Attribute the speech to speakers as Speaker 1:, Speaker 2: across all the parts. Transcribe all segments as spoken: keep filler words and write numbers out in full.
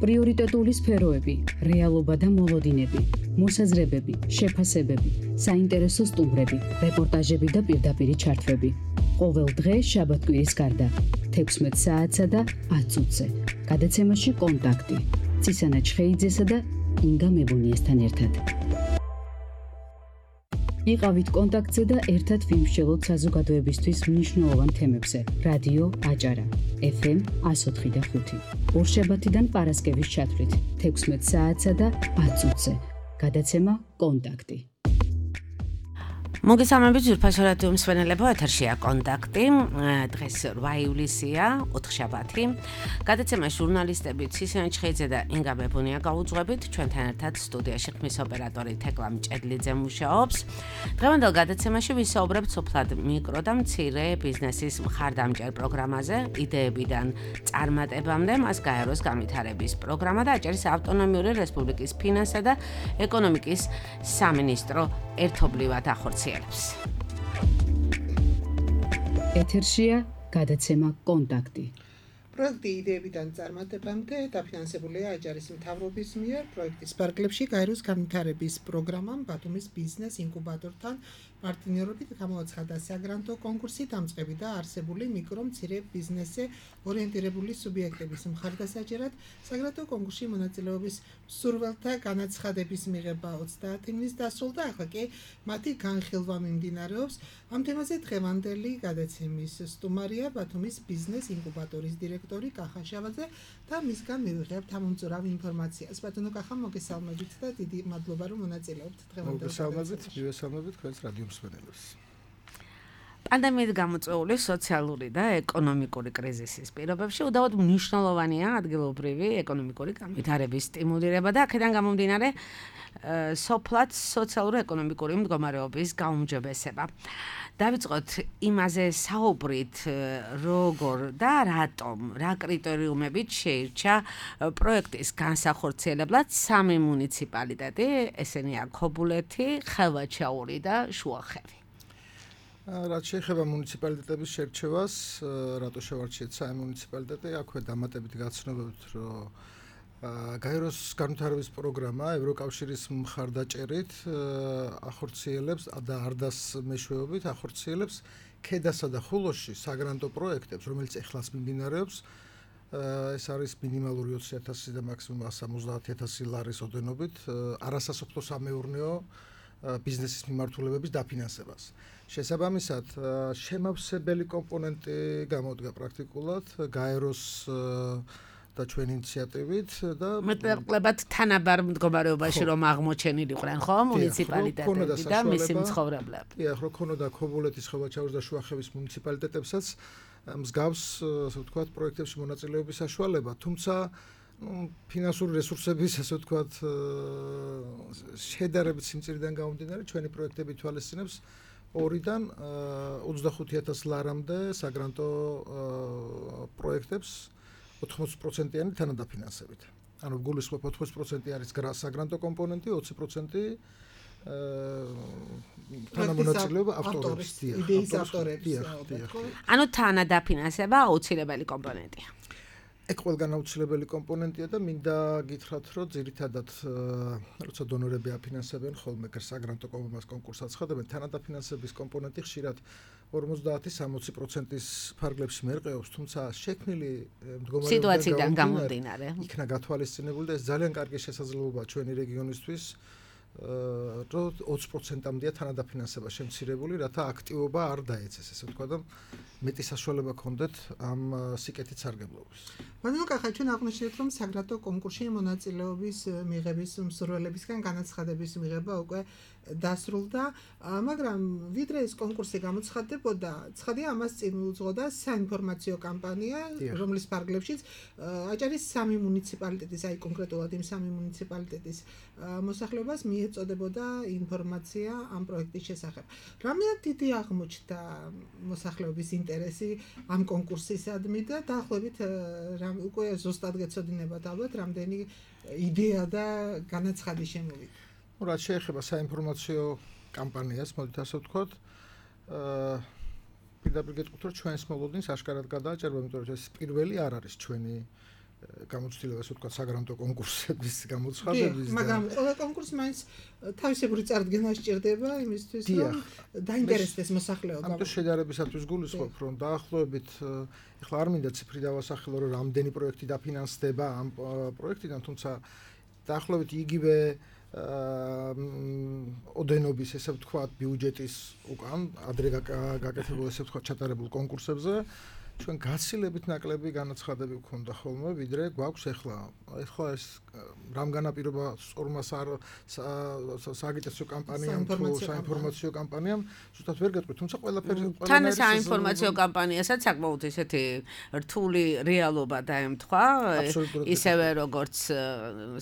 Speaker 1: პრიორიტეტული სფეროები, რეალობა და მოლოდინები, მოსაზრებები, შეფასებები, საინტერესო სტუმრები, რეპორტაჟები და პირდაპირი ჩართვები. ყოველ დღე შაბათ-კვირის გარდა, თექვსმეტ საათსა და ათ წუთზე. გადაცემაში კონტაქტი. ცისანა ჩხეიძესა და ინგა მებუნიესთან ერთად. იყავით კონტაქტზე და ერთად ვიმსჯელოთ საზოგადოებისთვის მნიშვნელოვან თემებზე. რადიო აჭარა, ეფ ემ εκατო ოთხი და ხუთი. ორშაბათიდან პარასკევის ჩათვლით, თექვსმეტ საათსა და ათ წუთზე. გადაცემა კონტაქტი.
Speaker 2: მოგესალმებით ძვირფასო რადიო მსმენელებო, ეთერშია კონტაქტი. დღეს რვა ივლისია, ოთხშაბათი. გადაცემა ჟურნალისტები ცისანა ჩხეიძე და ინგა მებუნია გაუძღვებით. ჩვენთან ერთად სტუდიაში ხმის ოპერატორი თეკლა მჭედლიძე მუშაობს. დღევანდელ გადაცემაში ვისაუბრებთ სოფლად მიკრო და მცირე ბიზნესის მხარდამჭერ პროგრამაზე, იდეებიდან წარმატებამდე, მას გაეროს განვითარების პროგრამა და აჭარის ავტონომიური რესპუბლიკის ფინანსთა და ეკონომიკის სამინისტრო ერთობლივად ახორციელებს.
Speaker 1: ეთერშია გადაცემა კონტაქტი.
Speaker 3: პროექტი იდეებიდან წარმატებამდე დაფინანსებულია აჭარის მთავრობის მიერ პროექტის ფარგლებში გაეროს განვითარების პროგრამამ ბათუმის ბიზნეს ინკუბატორთან პარტნიორობით გამოაცხადა საგრანტო კონკურსი დამწყები და არსებული მიკრო მცირე ბიზნესზე ორიენტირებული სუბიექტების მხარდასაჭერად საგრანტო კონკურსში მონაწილეობის მსურველთა განაცხადების მიღება ოცდაათი ივნის დასრულდა, ახლა კი მათი განხილვა მიმდინარეობს. ამ თემაზე დღევანდელი გადაცემის სტუმარია ბათუმის ბიზნეს ინკუბატორის დირექტორი კახა შავაძე და მისგან მივიღებთ ამომწურავ ინფორმაციას. ბატონო კახა, მოგესალმებით და დიდი მადლობა რომ მონაწილეობთ დღევანდელ
Speaker 4: მოგესალმებით, მივესალმებით თქვენს რადიო მსმენელებს.
Speaker 2: პანდემიით გამოწვეული სოციალური და ეკონომიკური კრიზისის პირობებში უდავოდ მნიშვნელოვანია ადგილობრივი ეკონომიკური განვითარების სტიმულირება და აქედან გამომდინარე სოფლად სოციალურ-ეკონომიკური მდგომარეობის გაუმჯობესება. დავიწყოთ იმაზე საუბრით, როგორ და რატომ, რა კრიტერიუმებით შეირჩა პროექტის განსახორციელებლად სამი მუნიციპალიტეტი, ესენია ქობულეთი, ხევაჩაური და შუახევი.
Speaker 4: რაც შეეხება მუნიციპალიტეტების შერჩევას, რატო შევარჩიეთ სამი მუნიციპალიტეტი, აქვე დამატებით გაცნობებთ, რომ გაეროს განვითარების პროგრამა ევროკავშირის მხარდაჭერით ახორციელებს და არდას მეშვეობით ახორციელებს ქედასა და ხულოში საგრანტო პროექტებს, რომელიც ეხლაც მიმდინარეობს. ეს არის მინიმალური ოცი ათასი და მაქსიმუმ სამოცდაათი ათასი ლარის ოდენობით არასასოფლო სამეურნეო ბიზნესის მიმართულებების დაფინანსებას. შესაბამისად, შემავსებელი კომპონენტი გამოდგა პრაქტიკულად გაეროს და ჩვენ ინიციატივით და
Speaker 2: მეტნაკლებად თანაბარ მდგომარეობაში რომ აღმოჩენილიყვნენ, ხო, მუნიციპალიტეტები და მისი მცხოვრებლები.
Speaker 4: დიახ, რო ქონოდა ქობულეთის, ხევაჩაურის და შუახევის მუნიციპალიტეტებსაც მსგავს, ასე ვთქვათ, პროექტებში მონაწილეობის საშუალება, თუმცა ფინანსური რესურსების, ასე ვთქვათ, შედარებით სიმწირიდან გამომდინარე, ჩვენი პროექტები ითვალისწინებს ორიდან ოცდახუთი ათასი ლარამდე საგრანტო პროექტებს ოთხმოცი პროცენტიანი თანადაფინანსებით. ანუ გულისხმობ ოთხმოცი პროცენტი არის საგრანტო კომპონენტი, ოცი პროცენტი თანამონაწილეობა ავტორის,
Speaker 3: იდეის ავტორების.
Speaker 2: ანუ თანადაფინანსება აუცილებელი კომპონენტია.
Speaker 4: ეგ ყველგან აუცილებელი კომპონენტია და მინდა გითხრათ, რომ ძირითადად როცა დონორები აფინანსებენ ხოლმე საგრანტო კონკურსს აცხადებენ, თანადაფინანსების კომპონენტი ხშირად ორმოცდაათი სამოცი პროცენტის ფარგლებში მერყეობს, თუმცა შექმნილი მდგომარეობიდან
Speaker 2: სიტუაციიდან გამომდინარე
Speaker 4: იქნა გათვალისწინებული და ეს ძალიან კარგი შესაძლებლობაა ჩვენი რეგიონისთვის, რომ ოცი პროცენტამდეა თანადაფინანსება შემცირებული, რათა აქტივობა არ დაეცეს, ესე ვთქვა და მეტი საშუალება ჰქონდეთ ამ სიკეთით სარგებლობის.
Speaker 3: ბატონო კახა, ჩვენ აღნიშნეთ, რომ საგრანტო კონკურსში მონაწილეობის მიღების მსურველებისგან განაცხადების მიღება უკვე დასრულდა, მაგრამ ვიდრე ეს კონკურსი გამოცხადდებოდა, ცხადია ამას წინ უძღოდა საინფორმაციო კამპანია, რომლის ფარგლებშიც აჭარის სამი მუნიციპალიტეტის, აი კონკრეტულად იმ სამი მუნიციპალიტეტის მოსახლეობას მიეწოდებოდა ინფორმაცია ამ პროექტის შესახებ. რამდენად დიდი აღმოჩნდა მოსახლეობის ინტერესი ამ კონკურსისადმი და დაახლოებით უკვე ზუსტად გეცოდინებათ ალბათ რამდენი იდეა და განაცხადი შემოვიდა.
Speaker 4: რაც შეეხება საინფორმაციო კამპანიას, მოდით ასე ვთქვათ, აა პირდაპირ გეტყვით, რომ ჩვენს მოლოდინს აშკარად გადააჭერბა, იმიტომ რომ ეს პირველი არ არის ჩვენი გამოცდილება, ასე ვთქვათ, საგრანტო კონკურსების გამოცხადების
Speaker 3: და მაგრამ ყველა კონკურსი მაინც თავისებური წარდგენა სჭირდება იმისთვის, რომ დაინტერესდეს მოსახლეობა.
Speaker 4: ამიტომ შედარებისათვის გულისხმობ, რომ დაახლოებით ეხლა არ მინდა ციფრი დავასახელო, რომ რამდენი პროექტი დაფინანსდება ამ პროექტიდან, თუმცა დაახლოებით იგივე ოდენობის, ესე ვთქვათ, ბიუჯეტის უკან ადრე გაკეთებულ, ესე ვთქვათ, ჩატარებულ კონკურსებზე ჩვენ გაცილებით ნაკლები განაცხადები გვქონდა ხოლმე, ვიდრე გვაქვს ეხლა. ეხლა ეს რამ განაპირობა სწორმა სააგიტაციო კამპანიამ თუ საინფორმაციო კამპანიამ, ზუსტად ვერ გეტყვი, თუმცა ყველაფერი
Speaker 2: თან ეს საინფორმაციო კამპანიასაც საკმაოდ ისეთი რთული რეალობა დაემთხვა, ისევე როგორც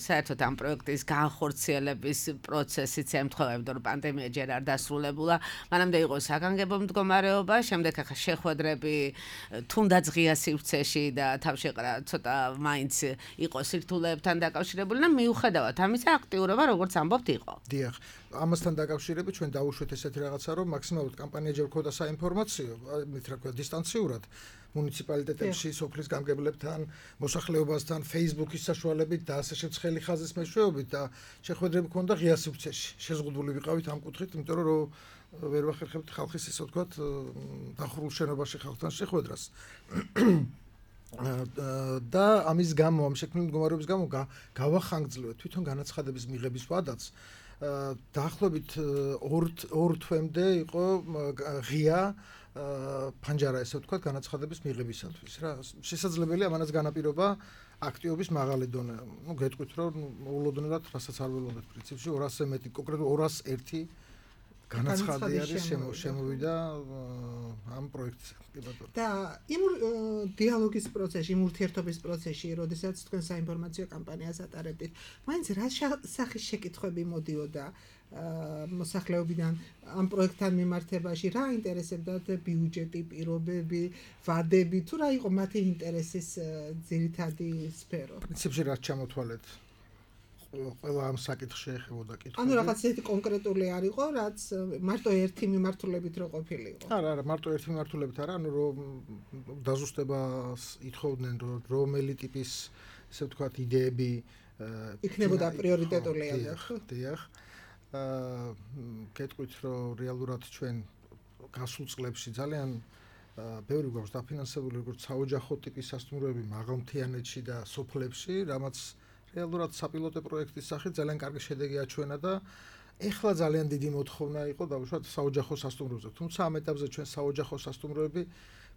Speaker 2: საერთოდ ამ პროექტის განხორციელების პროცესიც ემთხვევა, იმიტომ რომ პანდემია ჯერ არ დასრულებულა, მანამდე იყო საგანგებო მდგომარეობა, შემდეგ ახლა შეხვედრები თუნდაც ღია სივრცეში და თავშეყრა ცოტა მაინც იყო სირთულეებთან დაკავშირებული და მიუხედავად ამისა აქტიურობა როგორც ამბობთ იყო.
Speaker 4: დიახ, ამასთან დაკავშირებით ჩვენ დავუშვეთ ესეთი რაღაცა, რომ მაქსიმალურად კამპანია ჯერ ქონდა საინფორმაციო, მით რა ქვია, დისტანციურად მუნიციპალიტეტებში, სოფლის გამგებლებთან, მოსახლეობასთან, Facebook-ის საშუალებით და ასე შეცხელი ხაზის მეშვეობით და შეხვედრები ქონდა ღია სივრცეში. შეზღუდული ვიყავით ამ კუთხით, იმიტომ რომ ვერ ვახერხებთ ხალხის ისე ვთქვათ დახურულ შენობაში ხალხთან შეხვედრას. და ამის გამო, ამ შექმნილი მდგომარეობის გამო გავახანგძლივეთ თვითონ განაცხადების მიღების ვადაც. დაახლოებით ორ თვემდე იყო ღია ფანჯარა, ესე ვთქვათ, განაცხადების მიღებისათვის რა. შესაძლებელია ამანაც განაპირობა აქტივობის მაღალი დონე. ნუ გეტყვით, რომ მოულოდნელად რასაც არ ველოდეთ პრინციპში ორასზე მეტი, კონკრეტულად ორასი ერთი განაცხადი არის შემოვიდა ამ პროექტზე.
Speaker 3: და იმ დიალოგის პროცესში, იმ ურთიერთობის პროცესში, როდესაც თქვენ საინფორმაციო კამპანიას ატარებდით, მაინც რა სახის შეკითხვები მოდიოდა მოსახლეობიდან ამ პროექტთან მიმართებაში, რა ინტერესებდათ ბიუჯეტი, პირობები, ვადები, თუ რა იყო მათი ინტერესის ძირითადი სფერო?
Speaker 4: პრინციპში რაც ჩამოთვალეთ ყველა ამ საკითხში ეხებოდა კითხვები.
Speaker 3: ანუ რაღაც ერთი კონკრეტული არ იყო, რაც მარტო ერთი მიმართულებით რო ყოფილიყო.
Speaker 4: არა, არა, მარტო ერთი მიმართულებით არა, ანუ რომ დაზუსტებას ითხოვდნენ, რომ რომელი ტიპის, ესე ვთქვათ, იდეები
Speaker 3: იქნებოდა პრიორიტეტული ალბათ.
Speaker 4: დიახ. აა გეტყვით, რომ რეალურად ჩვენ გასულ წლებში ძალიან ბევრი გვაქვს დაფინანსებული როგორც საოჯახო ტიპის სასტუმროები მაღალმთიანეთში და სოფლებში, რამაც რეალურად საპილოტო პროექტის სახით ძალიან კარგი შედეგი აჩვენა და ეხლა ძალიან დიდი მოთხოვნა იყო დავუშვათ საოჯახო სასტუმროებზე. თუმცა ამ ეტაპზე ჩვენ საოჯახო სასტუმროები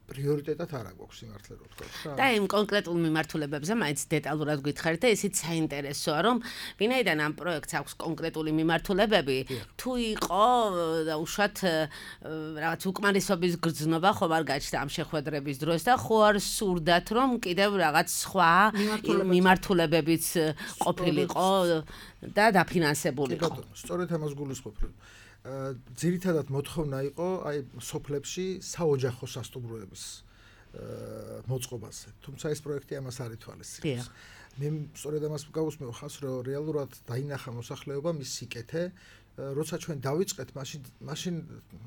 Speaker 4: პრიორიტეტად არ აგვაქვს სიმართლე რო ვთქვა რა.
Speaker 2: და იმ კონკრეტულ მიმართულებებზე მაინც დეტალურად გითხარით და ისიც საინტერესოა, რომ ვინაიდან ამ პროექტს აქვს კონკრეტული მიმართულებები, თუ იყო უშუალოდ რაღაც უკმარისობის გრძნობა ხო არ გაჩნდა ამ შეხვედრების დროს და ხო არ სურდათ, რომ კიდევ რაღაც სხვა მიმართულებებიც ყოფილიყო და დაფინანსებულიყო.
Speaker 4: სწორედ ამას გულისხმობ, რომ ძირითადად მოთხოვნა იყო აი სოფლებში საოჯახო სასტუმროების მოწყობაზე. თუმცა ეს პროექტი ამას არ ითვალისწინებს. მე სწორედ ამას გავუსმევ ხალხს, რომ რეალურად დაინახა მოსახლეობა მის სიკეთე, როცა ჩვენ დავიწყეთ, მაშინ მაშინ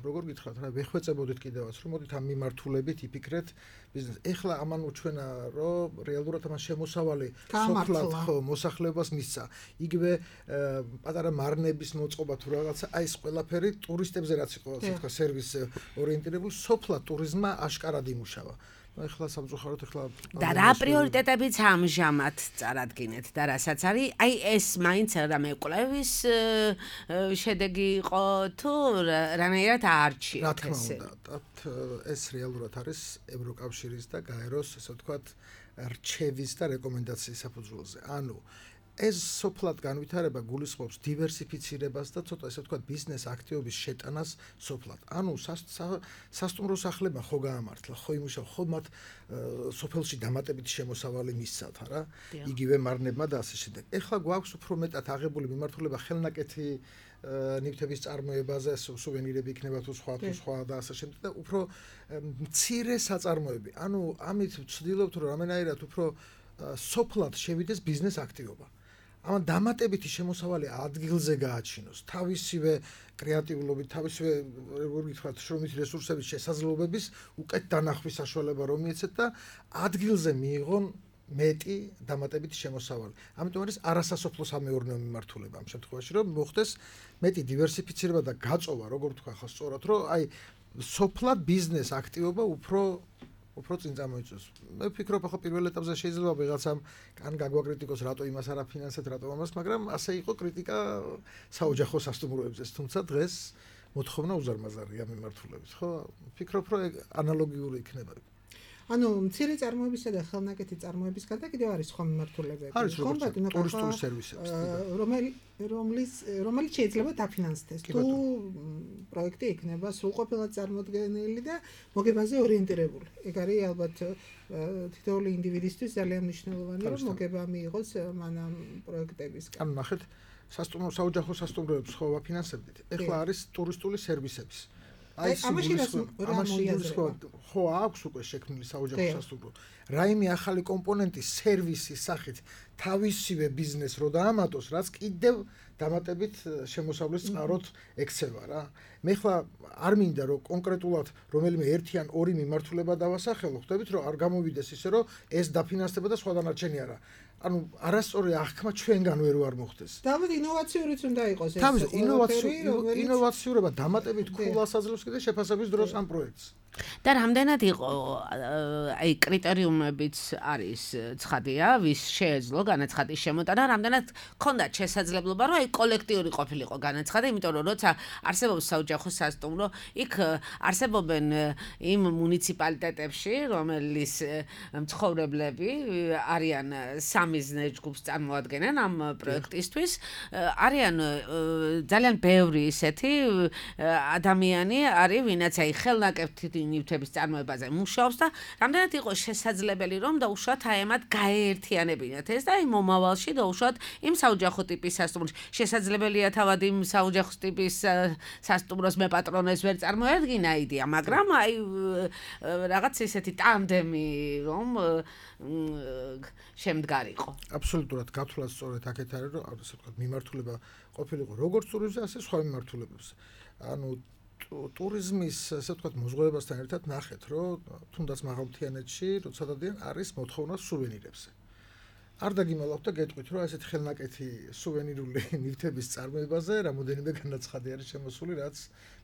Speaker 4: როგორ გითხრათ რა, ვეხვეწებოდით კიდევაც, რომ მოდით ამ მიმართულებით იფიქრეთ ბიზნეს. ეხლა ამან უჩვენა, რომ რეალურად ამან შემოსავალი სოფლად ხო მოსახლეობას მისცა. იგივე პატარა მარნების მოწყობა თუ რაღაცა, აი ეს ყველაფერი ტურისტებზე რაც იყო, ასე ვთქვა, სერვის ორიენტირებული, სოფლად ტურიზმმა აშკარად იმუშავა. ეხლა სამწუხაროდ ეხლა
Speaker 2: და რა პრიორიტეტებიც ამჟამად წარადგინეთ და რასაც არის, აი ეს მაინც რამე კვლევის შედეგი იყო თუ რანაირად აარჩიეთ
Speaker 4: რა თქმა უნდა, ეს რეალურად არის ევროკავშირის და გაეროს, ესე ვთქვათ, რჩევის და რეკომენდაციის საფუძველზე. ანუ ეს სოფლად განვითარება გულისხმობს დივერსიფიცირებას და ცოტა ესე ვთქვათ ბიზნეს აქტივობის შეტანას სოფლად. ანუ სასტუმრო სახლებმა ხო გაამართლა, ხო იმუშავა, ხო მათ სოფელში დამატებითი შემოსავალი მისცათ რა, იგივე მარნებმა და ასე შემდეგ. ეხლა გვაქვს უფრო მეტად აღებული მიმართულება ხელნაკეთი ნივთების წარმოებაზე, სუვენირები იქნება თუ სხვა თუ სხვა და ასე შემდეგ და უფრო მცირე საწარმოები. ანუ ამით ვცდილობთ რომ რამენაირად უფრო სოფლად შევიდეს ბიზნეს აქტივობა. ამან დამატებითი შემოსავალი ადგილზე გააჩინოს, თავისივე კრეატიულობით, თავისივე როგორ გითხრათ, შრომის რესურსების შესაძლებლობების უკეთ დანახვის საშუალება რომ მიეცეთ და ადგილზე მიიღონ მეტი დამატებითი შემოსავალი. ამიტომ არის არასასოფლო სამეურნეო მიმართულება ამ შემთხვევაში, რომ მოხდეს მეტი დივერსიფიცირება და გაწოვა, როგორ თქვა ხო სწორად, რომ აი სოფლად ბიზნეს აქტივობა უფრო უფრო წინ წამოიწევს. მე ვფიქრობ, ხო პირველ ეტაპზე შეიძლება ვიღაცამ კან გაგვაკრიტიკოს, რატო იმას არ აფინანსეთ, რატო ამას, მაგრამ ასე იყო კრიტიკა საოჯახო სასტუმროებზე, თუმცა დღეს მოთხოვნა უზარმაზარია მიმართულებით, ხო? ვფიქრობ, რომ ანალოგიური იქნება.
Speaker 3: ანუ მცირე წარმოებისა და ხელნაკეთი წარმოების გარდა კიდევ არის სხვა მიმართულებები.
Speaker 4: არის როგორც ტურისტული სერვისები,
Speaker 3: რომელი რომლის რომელიც შეიძლება დაფინანსდეს. თუ პროექტი იქნება სრულყოფილად წარმოდგენილი და მოგებაზე ორიენტირებული. ეგ არის ალბათ თითოეული ინდივიდისთვის ძალიან მნიშვნელოვანი, რომ მოგება მიიღოს მანამ პროექტებისგან.
Speaker 4: ანუ ნახეთ, სასტუმრო საოჯახო სასტუმროებს ხო ვაფინანსებდით. ეხლა არის ტურისტული სერვისების. აი ამაში ხო აქვს უკვე შექმნილი საოჯახო სასტუმრო. რაიმე ახალი კომპონენტი სერვისის სახით თავისივე ბიზნესს რო დაამატოს, რაც კიდევ დამატებით შემოსავლის წყაროთ ექცევა რა. მე ხლა არ მინდა რომ კონკრეტულად რომელიმე ერთი ან ორი მიმართულება დავასახელო, ხვდებით რომ არ გამოვიდეს ისე რომ ეს დაფინანსდება და სხვა დანარჩენი არა. ანუ არასწორი აღქმა ჩვენგან ვერ არ მოხდეს.
Speaker 3: დავით ინოვაციურიც უნდა იყოს ეს.
Speaker 4: თავის ინოვაციურობა დამატებით ქულას აძლევს კიდე შეფასების დროს ამ პროექტს.
Speaker 2: და რამდენად იყო აი კრიტერიუმებიც არის ცხადია, ვის შეეძლო განაცხადის შემოტანა, რამდენად ქონდათ შესაძლებლობა, რომ აი კოლექტიური ყოფილიყო განაცხადი, იმიტომ რომ როცა არსებობს საოჯახო სასტუმრო, იქ არსებობენ იმ მუნიციპალიტეტებში, რომელიც მცხოვრებლები არიან სამიზნე ჯგუფს წარმოადგენენ ამ პროექტისთვის, არიან ძალიან ბევრი ისეთი ადამიანი არის, ვინაც აი ხელნაკეთი ნივთების წარმოებაზე მუშაობს და რამდენად იყო შესაძლებელი რომ დაუშვათ აი ამათ გაეერთიანებინათ ეს და აი მომავალში დაუშვათ იმ საოჯახო ტიპის სასტუმროს შესაძლებელია თავად იმ საოჯახო ტიპის სასტუმროს მე პატრონეს ვერ წარმოედგინა იდეა, მაგრამ აი რაღაც ისეთი ტანდემი რომ შემდგარიყო.
Speaker 4: აბსოლუტურად გათვლას სწორედ აქეთ არის რომ ასე ვთქვათ მიმართულება ყოფილიყო როგორც ტურიზმზე, ასე სხვა მიმართულებებზე. ანუ ტურიზმის ასე ვთქვათ მოზღვევებასთან ერთად ნახეთ, რომ თუნდაც მაღალმთიანეთში, როცა დადიან არის მოთხოვნა სუვენირებზე. არ დაგიმალავთ და გეტყვით, რომ ესეთ ხელნაკეთი სუვენირული ნივთების წარმოებაზე რამოდენიმე განაცხადი არის შემოსული, რაც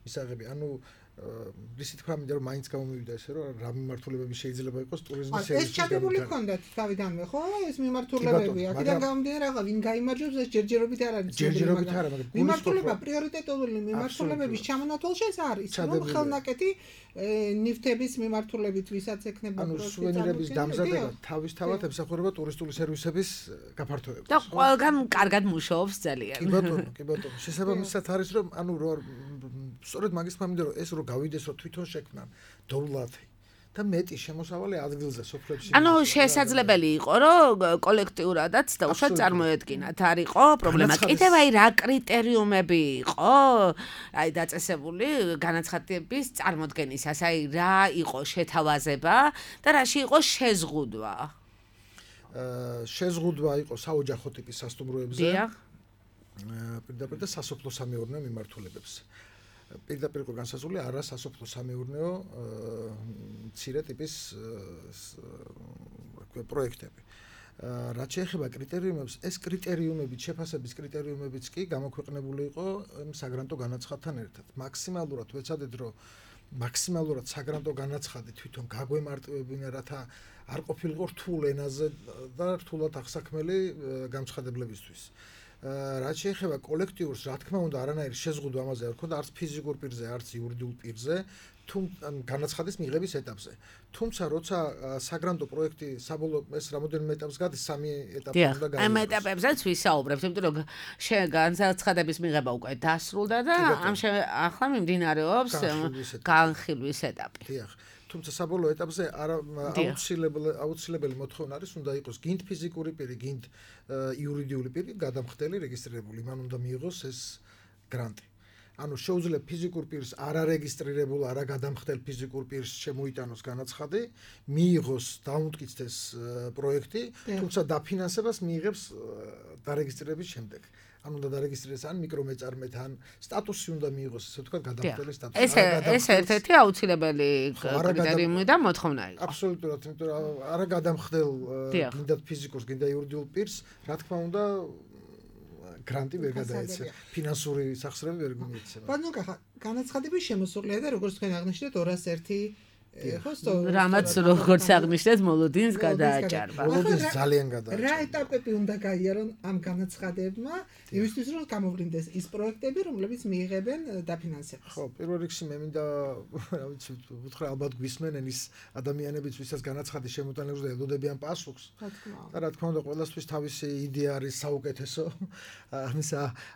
Speaker 4: მისაღები. ანუ რისი თქვა მინდა რომ მაინც გამომივიდა ესე რომ რა მიმართულებები შეიძლება იყოს ტურიზმის სერვისის.
Speaker 3: ეს ჩადებული ჰქონდათ თავიდანვე, ხო? ეს მიმართულებები, აქედან გამომდინარე რა, ვინ გაიმარჯვებს ეს ჯერჯერობით არ არის.
Speaker 4: ჯერჯერობით არა, მაგრამ
Speaker 3: მიმართულება პრიორიტეტული მიმართულებების ჩამონათვალში ეს არის, რომ ხელნაკეთი ნივთების მიმართულებით ვისაც ექნება
Speaker 4: ანუ სუვენირების დამზადება თავისთავად ემსახურება ტურისტული სერვისების გაფართოებას.
Speaker 2: და ყველგან კარგად მუშაობს ძალიან.
Speaker 4: კი ბატონო, კი ბატონო. შესაბამისად არის რომ ანუ სწორედ მაგის მინდა რომ ეს რო გავიდეს რომ თვითონ შექმნან დოვლათი და μέτი შემოსავალი ადგილზე სოფლებში.
Speaker 2: ანუ შესაძლებელი იყო რომ კოლექტიურადაც დაუშვათ წარმოედგინათ, არ იყო პრობლემა. კიდევ აი რა კრიტერიუმები იყო აი დაწესებული განაცხადების წარმოდგენისას, აი რა იყო შეთავაზება და რაში იყო შეზღუდვა?
Speaker 4: აა შეზღუდვა იყო საოჯახო ტიპის სასტუმროებზე.
Speaker 2: დიახ.
Speaker 4: პირდაპირ და სასოფლო სამეურნეო მიმართულებებზე. პირდაპირ იყო განსაზღვრული არა სასოფლო სამეურნეო მცირე ტიპის პროექტები. რაც შეეხება კრიტერიუმებს, ეს კრიტერიუმები, შეფასების კრიტერიუმებიც კი გამოქვეყნებული იყო საგრანტო განაცხადთან ერთად. მაქსიმალურად ვეცადეთ, რომ მაქსიმალურად საგრანტო განაცხადი თვითონ გაგვემარტივებინა, რათა არ ყოფილიყო რთულ ენაზე და რთულად აღსაქმელი განცხადებლებისთვის. რაც შეეხება კოლექტიურს, რა თქმა უნდა, არანაირი შეზღუდვა ამაზე არ ქონდა, არც ფიზიკურ პირზე, არც იურიდიულ პირზე, თუ განაცხადის მიღების ეტაპზე. თუმცა, როცა საგრანტო პროექტი საბოლოო ეს რამოდენიმე ეტაპს გადის, სამი ეტაპი უნდა გაიგოს.
Speaker 2: ამ ეტაპებზეც ვისაუბრებთ, იმიტომ რომ განაცხადების მიღება უკვე დასრულდა და ამ ახლა მიმდინარეობს განხილვის ეტაპი.
Speaker 4: დიახ. თუმცა საბოლოო ეტაპზე აუცილებელი აუცილებელი მოთხოვნა არის, უნდა იყოს გინდ ფიზიკური პირი, გინდ იურიდიული პირი გადამხდელი რეგისტრირებული, მან უნდა მიიღოს ეს გრანტი. ანუ შეუძლია ფიზიკურ პირს არარეგისტრირებულ, არაგადამხდელ ფიზიკურ პირს შემოიტანოს განაცხადი, მიიღოს, დაუმტკიცდეს პროექტი, თუმცა დაფინანსებას მიიღებს დარეგისტრირების შემდეგ. ან უნდა დარეგისტრირდეს ან მიკრომეწარმეთ, ან სტატუსი უნდა მიიღოს, ესე ვთქვათ, გადამხდელი სტატუსი.
Speaker 2: ეს ეს ერთ-ერთი აუცილებელი კრიტერიუმი და მოთხოვნა იყო.
Speaker 4: აბსოლუტურად, იმიტომ რომ არა გადამხდელ გინდათ ფიზიკურს, გინდა იურიდიულ პირს, რა თქმა უნდა, გრანტი ვერ გადაეცა, ფინანსური სახსრები ვერ მიეცემა.
Speaker 3: ბატონო, განაცხადების შემოსულია და როგორც თქვენ აღნიშნეთ ორას ერთი
Speaker 2: რამაც როგორც აღნიშნეთ მოლოდინს გადააჭარბა.
Speaker 4: მოლოდინს ძალიან გადააჭარბა.
Speaker 3: რა ეტაპები უნდა გაიარონ ამ განაცხადებმა, იმისთვის რომ გამოვლინდეს ის პროექტები, რომლებიც მიიღებენ დაფინანსებას?
Speaker 4: ხო, პირველ რიგში მე მინდა, რა ვიცი, ვუთხრა ალბათ გვისმენენ ის ადამიანებიც, ვისაც განაცხადი შემოტანილს და ელოდებიან პასუხს. და რა თქმა უნდა, ყველასთვის თავისი იდეა არის საუკეთესო. ამის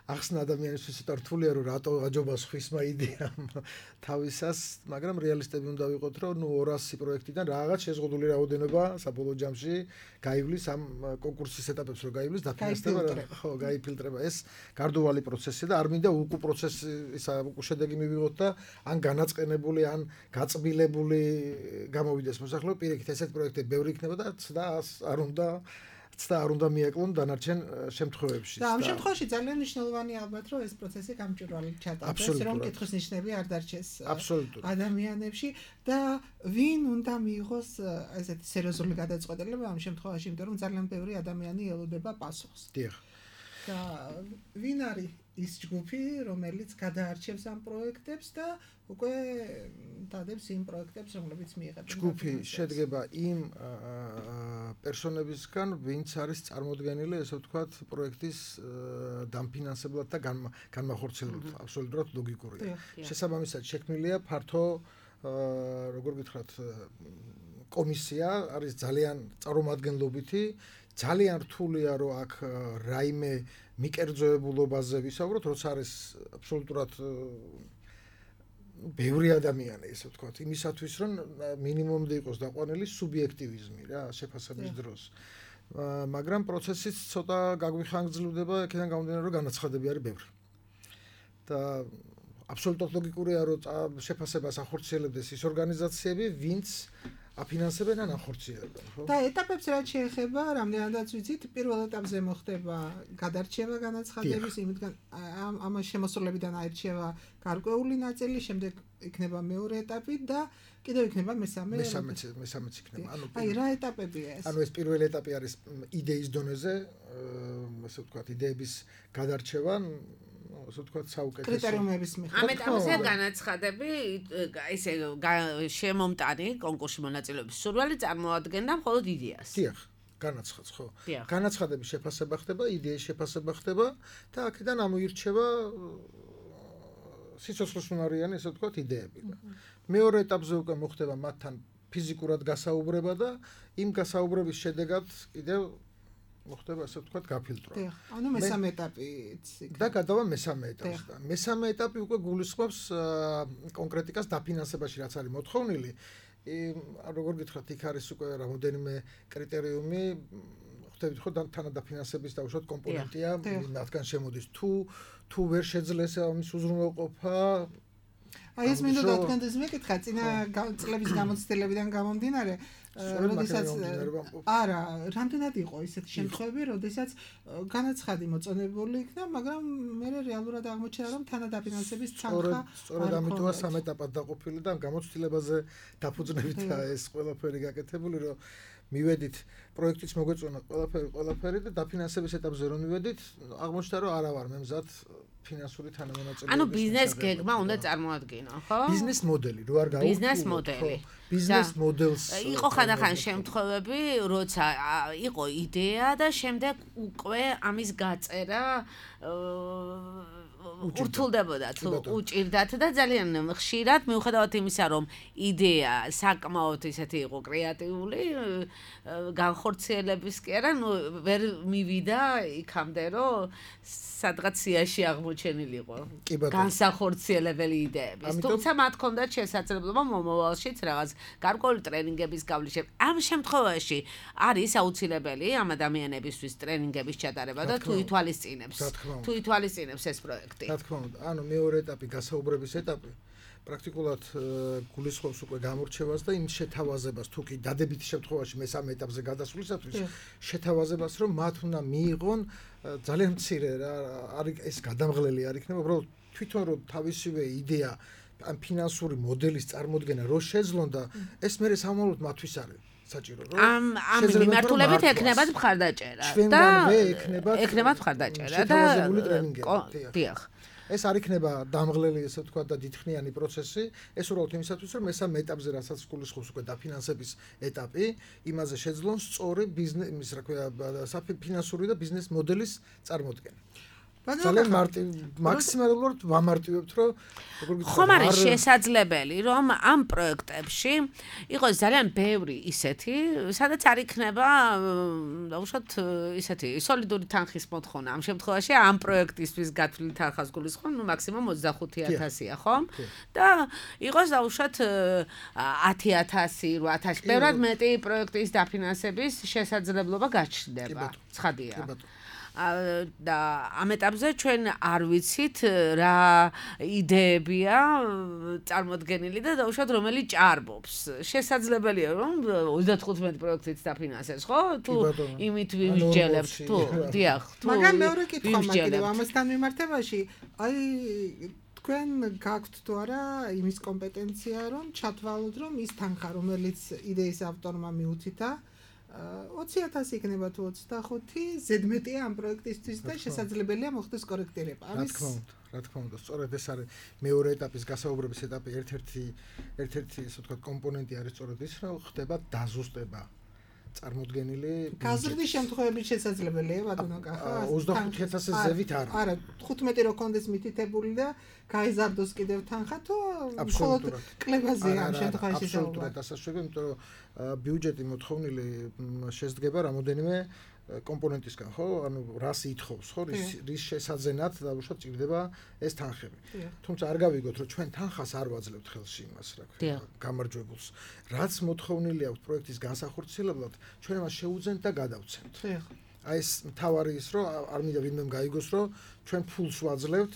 Speaker 4: ახსნა ადამიანისთვის ცოტა რთულია, რომ რატო აჯობას ხვისმა იდეამ თავისას, მაგრამ რეალისტები უნდა ვიყოთ, რომ ნუ ორასი პროექტიდან რაღაც შეზღუდული რაოდენობა საბოლოო ჯამში გაივლის ამ კონკურსის ეტაპებს რო გაივლის დაფინანსება ხო გაიფილტრება ეს გარდუვალი პროცესია და არ მინდა უკუ პროცესი ისა უკუ შედეგი მივიღოთ და ან განაწყენებული ან გაწბილებული გამოვიდეს მოსახლეობა პირიქით ესეთ პროექტები ბევრი იქნება და ცდა არ უნდა ცდა არ უნდა მიეკლონ დანარჩენ შემთხვევებში
Speaker 3: და ამ შემთხვევაში ძალიან მნიშვნელოვანია ალბათ რომ ეს პროცესი გამჭვირვალედ ჩატარდეს რომ კითხვის ნიშნები არ დარჩეს ადამიანებში და ვინ უნდა მიიღოს ესეთი სერიოზული გადაწყვეტილება ამ შემთხვევაში იმიტომ რომ ძალიან ბევრი ადამიანი ელოდება პასუხს
Speaker 4: დიახ
Speaker 3: და ვინ არის ის ჯგუფი რომელიც გადაარჩევს ამ პროექტებს და უკვე დადებს იმ პროექტებს რომლებიც მიიღებენ
Speaker 4: ჯგუფი შედგება იმ პერსონებისგან ვინც არის წარმოდგენილი ესე ვთქვათ პროექტის დამფინანსებლად და განმახორციელებლად აბსოლუტურად ლოგიკურია შესაბამისად შექმნილია ფართო როგორ გითხრათ კომისია არის ძალიან წარმომადგენლობითი ძალიან რთულია რომ აქ რაიმე მიკერძოებულობაზე ვისაუბროთ როცა არის აბსოლუტურად ბევრი ადამიანი ესე ვთქვათ იმისათვის რომ მინიმუმდე იყოს დაყვანილი სუბიექტივიზმი რა შეფასების დროს მაგრამ პროცესიც ცოტა გაგვიხანგრძლივდება აქედან გამომდინარე რომ განაცხადები არის ბევრი და აბსოლუტურად ლოგიკურია რომ შეფასებას ახორციელებდეს ის ორგანიზაციები ვინც აფინანსებენ ან ახორციელებენ ხო
Speaker 3: და ეტაპებს რაც შეეხება რამდენადაც ვიცით პირველ ეტაპზე მოხდება გადარჩევა განაცხადების იმითგან ამ ამ შემოსულებიდან აირჩევა გარკვეული ნაწილი შემდეგ იქნება მეორე ეტაპი და კიდევ იქნება მესამე
Speaker 4: მესამე მესამეც იქნება
Speaker 3: ანუ აი რა ეტაპებია ეს
Speaker 4: ანუ ეს პირველი ეტაპი არის იდეის დონეზე ასე ვთქვათ იდეების გადარჩევა ასე ვთქვათ საუკეთესო
Speaker 3: კრიტერიუმების მიხედვით.
Speaker 2: ამ ეტაპზე განაცხადები ესე შემომტანი კონკურსში მონაწილეობის სურვილი წარმოადგენდა მხოლოდ იდეას.
Speaker 4: დიახ, განაცხადს ხო. განაცხადების შეფასება ხდება, იდეის შეფასება ხდება და აქედან ამოირჩევა სიცოცხლესუნარიანი ესე ვთქვათ იდეები. მეორე ეტაპზე უკვე მოხდება მათთან ფიზიკურად გასაუბრება და იმ გასაუბრების შედეგად კიდევ მოხდება ასე ვთქვათ გაფილტრვა.
Speaker 3: დიახ, ანუ მესამე ეტაპიც იქნება.
Speaker 4: და გადავა მესამე ეტაპს და მესამე ეტაპი უკვე გულისხმობს კონკრეტიკას დაფინანსებაში რაც არის მოთხოვნილი. როგორ გითხრათ, იქ არის უკვე რამოდენიმე კრიტერიუმი, ხვდებით ხო თანადაფინანსების დაუშვათ კომპონენტია, მათგან შემოდის თუ თუ ვერ შეძლეს ამის უზრუნველყოფა
Speaker 3: აი ეს მინდა დათქენდეს მეკითხა წინა წლების გამოცდილებიდან გამომდინარე როდესაც არა რამდენად იყო ისეთი შემთხვევები როდესაც განაცხადი მოწონებული იქნა მაგრამ მე რეალურად აღმოჩნდა რომ თანადაფინანსების თანხა
Speaker 4: სწორედ ამიტომა სამ ეტაპად დაყოფილი და გამოცდილებაზე დაფუძნებითა ეს ყველაფერი გაკეთებული რომ მივედით პროექტიც მოგვეწონა ყველაფერი ყველაფერი და დაფინანსების ეტაპზე რომ მივედით აღმოჩნდა რომ არა ვარ მე მზად ფინანსური თანამონაწილეობის
Speaker 2: ანუ ბიზნეს გეგმა უნდა წარმოადგინო ხო
Speaker 4: ბიზნეს მოდელი რო არ გაუქმო
Speaker 2: ბიზნეს მოდელი
Speaker 4: ბიზნეს მოდელს
Speaker 2: იყო ხანდახან შემთხვევები როცა იყო იდეა და შემდეგ უკვე ამის გაწერა ურთულდებოდა თუ უჭირდათ და ძალიან ხშირად მიუხედავად იმისა რომ იდეა საკმაოდ ისეთი იყო კრეატიული განხორციელების კი არა ნუ ვერ მივიდა იქამდე რომ სადღაც სიაში აღმოჩენილიყო განსახორციელებელი იდეები თუმცა მათ ჰქონდათ შესაძლებლობა მომავალშიც რაღაც გარკვეული ტრენინგების გავლის ამ შემთხვევაში არის აუცილებელი ამ ადამიანებისთვის ტრენინგების ჩატარება და თუ ითვალისწინებს თუ ითვალისწინებს ეს პროექტი
Speaker 4: რა თქმა უნდა ანუ მეორე ეტაპი გასაუბრების ეტაპი პრაქტიკულად გულისხმობს უკვე გამორჩევას და იმ შეთავაზებას თუ კი დადებითი შემთხვევაში მესამე ეტაპზე გადასვლისათვის შეთავაზებას რომ მათ უნდა მიიღონ ძალიან მცირე რა არის ეს გადამღლელი არ იქნება უბრალოდ თვითონ რომ თავისივე იდეა ან ფინანსური მოდელის წარმოქმნა რო შეძლონ და ეს მე სამომავლოდ მათთვის არის საჭირო რომ
Speaker 2: ამ ამ მიმართულებით ექნებათ მხარდაჭერა და ექნებათ მხარდაჭერა და
Speaker 4: შეთავაზებული ტრენინგები
Speaker 2: დიახ
Speaker 4: ეს არ იქნება დამღლელი ესე ვთქვა და დიდხნიანი პროცესი ეს უბრალოდ იმისათვის რომ მესამე ეტაპზე რასაც გულისხმობს უკვე დაფინანსების ეტაპი იმაზე შეძლონ სწორი ბიზნეს რა ქვია ფინანსური და ბიზნეს მოდელის წარმოქმნა ძალიან მარტივ მაქსიმალურად ვამარტივებთ რომ
Speaker 2: ხომ არის შესაძლებელი რომ ამ პროექტებში იყოს ძალიან ბევრი ისეთი სადაც არ იქნება დაუშვათ ისეთი სოლიდური თანხის მოთხოვნა ამ შემთხვევაში ამ პროექტისთვის გათვლილი თანხას გულისხმობ ნუ მაქსიმუმ ოცდახუთი ათასია ხომ და იყოს დაუშვათ ათი ათასი რვა ათასი ბევრად მეტი პროექტის დაფინანსების შესაძლებლობა გაჩნდება ცხადია და ამ ეტაპზე ჩვენ არ ვიცით რა იდეებია წარმოდგენილი და დაუშვათ რომელი ჭარბობს. შესაძლებელია რომ ოცდათხუთმეტი პროექტით დაფინანსეს, ხო? თუ იმით ვიმსჯელებთ, თუ დიახ, თუ
Speaker 3: მაგრამ მეორე კითხვა მაგდროულ ამასთან მიმართებაში, აი თქვენ გაქვთ თუ არა იმის კომპეტენცია რომ ჩათვალოთ რომ ის თანხა რომელიც იდეის ავტორმა მიუცითა ოცი ათასი იქნება თუ ოცდახუთი ზედმეტია ამ პროექტისთვის და შესაძლებელია მოხდეს კორექტირება.
Speaker 4: ამის რა თქმა უნდა, რა თქმა უნდა, სწორედ ეს არის მეორე ეტაპის გასაუბრების ეტაპი, ერთ-ერთი ერთ-ერთი ისე ვთქვათ კომპონენტი არის სწორედ ის, რომ ხდება დაზუსტება წარმოდგენილი
Speaker 3: გაზრდის შემთხვევებში შესაძლებელია ბატონო კახა
Speaker 4: ოცდახუთი ათასის ზევით არა.
Speaker 3: არა, თხუთმეტი რო კონდეს მითითებული და გაიზარდოს კიდევ თანხა თუ მხოლოდ კლებაზეა ამ შემთხვევაში შესაძლოა.
Speaker 4: აბსოლუტურად ასაშუება, იმიტომ რომ ბიუჯეტი მოთხოვნილი შედგება რამოდენიმე კომპონენტისგან, ხო? ანუ რას ითხოვს, ხო? რის შესაძენად დაუშვათ ჭირდება ეს თანხები. თუმცა არ გავიგოთ, რომ ჩვენ თანხას არ ვაძლევთ ხელში იმას, რა ქვია, გამარჯვებულს. რაც მოთხოვნილი აქვს პროექტის განსახორციელებლად, ჩვენ მას შევუძენთ და გადავცემთ. აი ეს მთავარი ის, რომ არ მინდა ვინმემ გაიგოს, რომ ჩვენ ფულს ვაძლევთ,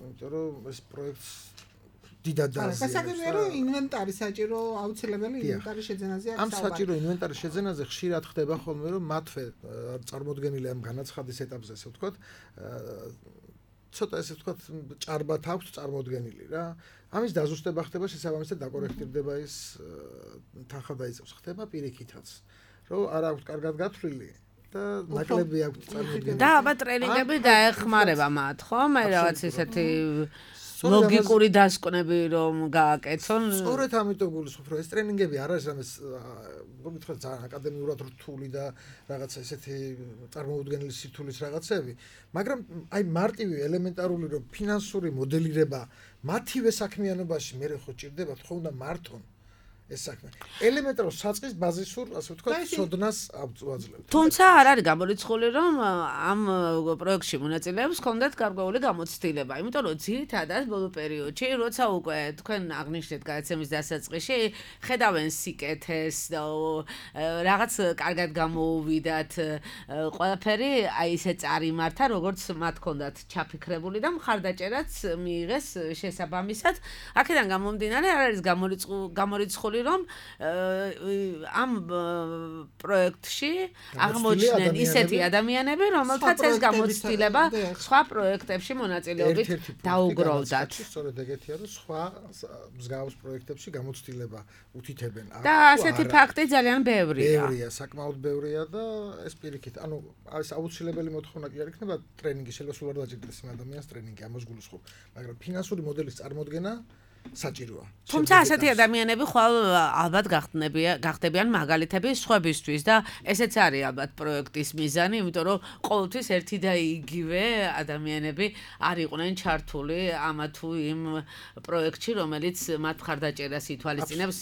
Speaker 4: იმიტომ რომ ეს პროექტს დიდად დააზიანებს.
Speaker 3: გასაგებია რომ ინვენტარი საჭირო აუცილებელი ინვენტარის შეძენაზე აქვს.
Speaker 4: ამ საჭირო ინვენტარის შეძენაზე ხშირად ხდება ხოლმე რომ მათვე წარმოდგენილი ამ განაცხადის ეტაპზე ესე ვთქვათ ცოტა ესე ვთქვათ ჭარბად აქვს წარმოდგენილი რა. ამის დაზუსტება ხდება შესაბამისად დაკორექტირდება ის თანხა დაიწევს ხდება პირიქითაც რომ არ აქვს კარგად გათვლილი და ნაკლები აქვს წარმოდგენილი.
Speaker 2: და აბა ტრენინგები დაეხმარება მათ ხო? მე რაღაც ისეთი ლოგიკური დასკვნები რომ გააკეთონ.
Speaker 4: სწორედ ამიტომ გულისხმობ რომ ეს ტრენინგები არ არის რამეს მოგითხრათ ძალიან აკადემიურად რთული და რაღაცა ესეთი წარმოუდგენელი სირთულის რაღაცები, მაგრამ აი მარტივი ელემენტარული რომ ფინანსური მოდელირება მათივე საქმიანობაში მე ხო ჭირდება ხო უნდა მართონ ეს საქმე. ელემენტარულ საწყის ბაზისურ, ასე ვთქვათ, სოდნას ავაძლევთ.
Speaker 2: თუმცა არ არის გამორიცხული, რომ ამ პროექტში მონაწილეებს ჰქონდათ გარკვეული გამოცდილება, იმიტომ რომ ძირითადად ბოლო პერიოდში, როცა უკვე თქვენ აღნიშნეთ გადაცემის დასაწყისში, ხედავენ სიკეთეს და რაღაც კარგად გამოუვიდათ ყველაფერი, აი ესე წარიმართა, როგორც მათ ჰქონდათ ჩაფიქრებული და მხარდაჭერაც მიიღეს შესაბამისად. აქედან გამომდინარე, არ არის გამორიცხული რომ ამ პროექტში აღმოჩნდნენ ისეთი ადამიანები, რომელთაც ეს გამოცდილება სხვა პროექტებში მონაწილეობით დაუგროვდათ.
Speaker 4: სწორედ ეგეთია, რომ სხვა მსგავს პროექტებში გამოცდილება უთითებენ.
Speaker 2: და ასეთი ფაქტი ძალიან ბევრია.
Speaker 4: ბევრია, საკმაოდ ბევრია და ეს პირიქით, ანუ ეს აუცილებელი მოთხოვნა კი არ იქნება ტრენინგი, შეიძლება სულ არ დაჭირდეს იმ ადამიანს ტრენინგი, ამას გულისხმობ, მაგრამ ფინანსური მოდელის წარმოქმნა საჭიროა.
Speaker 2: თუმცა ასეთი ადამიანები ხვალ ალბათ გახდებიან მაგალითები სხვებისთვის და ესეც არის ალბათ პროექტის მიზანი, იმიტომ რომ ყოველთვის ერთი და იგივე ადამიანები არ იყვნენ ჩართული ამა თუ იმ პროექტში, რომელიც მათ მხარდაჭერას ითვალისწინებს